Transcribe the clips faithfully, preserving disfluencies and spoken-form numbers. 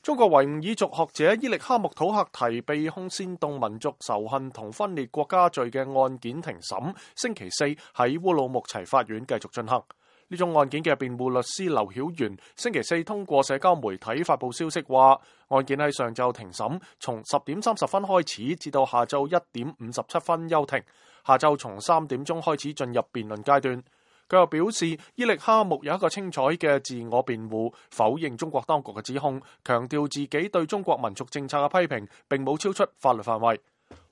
中國維吾爾族學者伊力哈木土赫提被控煽動民族仇恨同分裂國家罪嘅案件停審，星期四喺烏魯木齊法院繼續進行。呢宗案件嘅辯護律師劉曉元星期四通過社交媒體發佈消息話，案件喺上晝停審，從十點三十分開始至到下晝一點五十七分休庭，下晝從三點鐘開始進入辯論階段。佢又表示，伊力哈木有一個清楚嘅自我辯護，否認中國當局嘅指控，強調自己對中國民族政策嘅批評並冇超出法律範圍。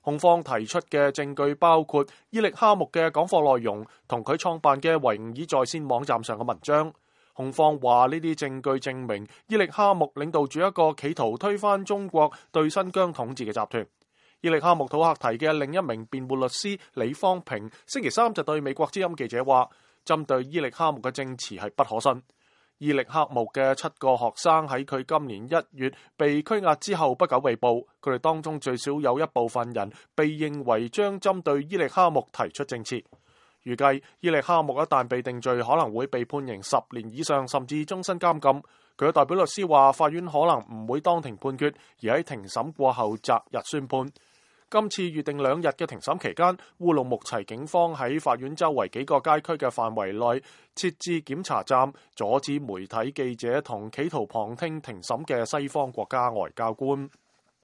控方提出嘅證據包括伊力哈木嘅講課內容同佢創辦嘅維吾爾在線網站上嘅文章。控方話呢啲證據證明伊力哈木領導住一個企圖推翻中國對新疆統治嘅集團。伊力哈木土赫提嘅另一名辯護律師李方平星期三就對美國之音記者話，針對伊力哈木嘅證詞係不可信。伊力哈木嘅七個學生喺佢今年一月被拘押之後不久被捕，佢哋當中最少有一部分人被認為將針對伊力哈木提出證詞。預計伊力哈木一旦被定罪，可能會被判刑十年以上，甚至終身監禁。佢嘅代表律師話，法院可能唔會當庭判決，而喺庭審過後擇日宣判。今次預定兩日嘅庭審期間，烏魯木齊警方喺法院周圍幾個街區嘅範圍內設置檢查站，阻止媒體記者同企圖旁聽庭審嘅西方國家外交官。